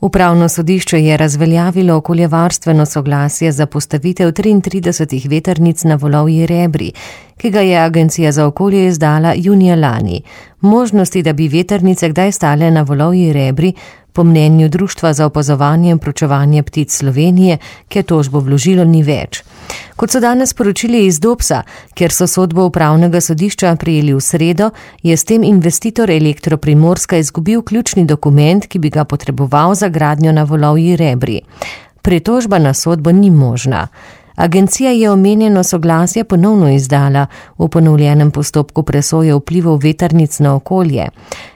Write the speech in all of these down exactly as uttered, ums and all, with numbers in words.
Upravno sodišče je razveljavilo okoljevarstveno soglasje za postavitev triintridesetih vetrnic na Volovji Rebri, ki ga je Agencija za okolje izdala junija lani. Možnosti, da bi vetrnice kdaj stale na Volovji Rebri, po mnenju Društva za opazovanje in proučevanje ptic Slovenije, ki je tožbo vložilo, ni več. Kot so danes sporočili iz Dobsa, ker so sodbo upravnega sodišča prijeli v sredo, je s tem investitor Elektro Primorska izgubil ključni dokument, ki bi ga potreboval za gradnjo na Volovji Rebri. Pritožba na sodbo ni možna. Agencija je omenjeno soglasje ponovno izdala v ponovljenem postopku presoje vplivov vetrnic na okolje.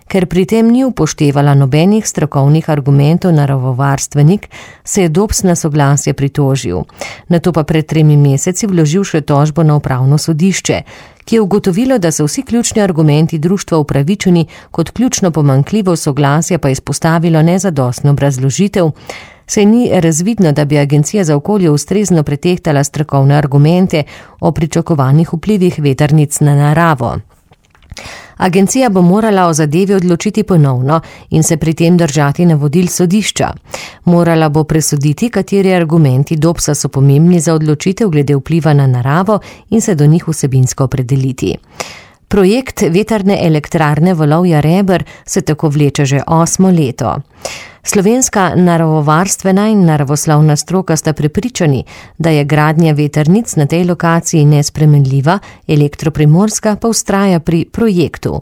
Ker pri tem ni upoštevala nobenih strokovnih argumentov naravovarstvenik, se je Dobs na soglasje pritožil. Nato pa pred tremi meseci vložil še tožbo na upravno sodišče, ki je ugotovilo, da so vsi ključni argumenti društva upravičeni, kot ključno pomanjkljivo soglasje pa izpostavilo nezadostno obrazložitev, saj ni razvidno, da bi Agencija za okolje ustrezno pretehtala strokovne argumente o pričakovanih vplivih vetrnic na naravo. Agencija bo morala o zadevi odločiti ponovno in se pri tem držati navodil sodišča. Morala bo presoditi, kateri argumenti Dobsa so pomembni za odločitev glede vpliva na naravo in se do njih vsebinsko opredeliti. Projekt vetrne elektrarne Volovja Reber se tako vleče že osmo leto. Slovenska naravovarstvena in naravoslovna stroka sta prepričani, da je gradnja vetrnic na tej lokaciji nespremenljiva, Elektro Primorska pa vztraja pri projektu.